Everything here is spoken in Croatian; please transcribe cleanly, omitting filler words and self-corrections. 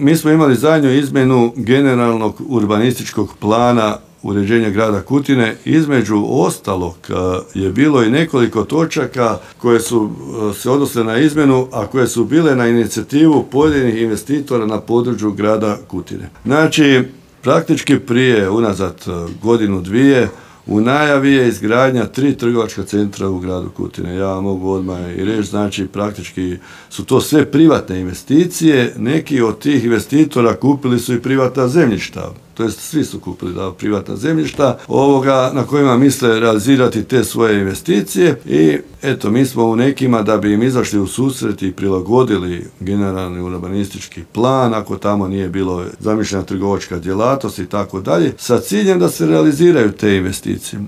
Mi smo imali zadnju izmjenu generalnog urbanističkog plana uređenja grada Kutine. Između ostalog je bilo i nekoliko točaka koje su se odnosile na izmjenu, a koje su bile na inicijativu pojedinih investitora na području grada Kutine. Znači, praktički prije, unazad godinu, dvije, u najavi je izgradnja 3 trgovačka centra u gradu Kutine. Ja mogu odmah i reći, znači praktički su to sve privatne investicije. Neki od tih investitora kupili su i privatna zemljišta. To jest svi su kupili privatna zemljišta na kojima misle realizirati te svoje investicije i eto, mi smo u nekima, da bi im izašli u susret i prilagodili generalni urbanistički plan, ako tamo nije bilo zamišljena trgovačka djelatnost i tako dalje, sa ciljem da se realiziraju te investicije.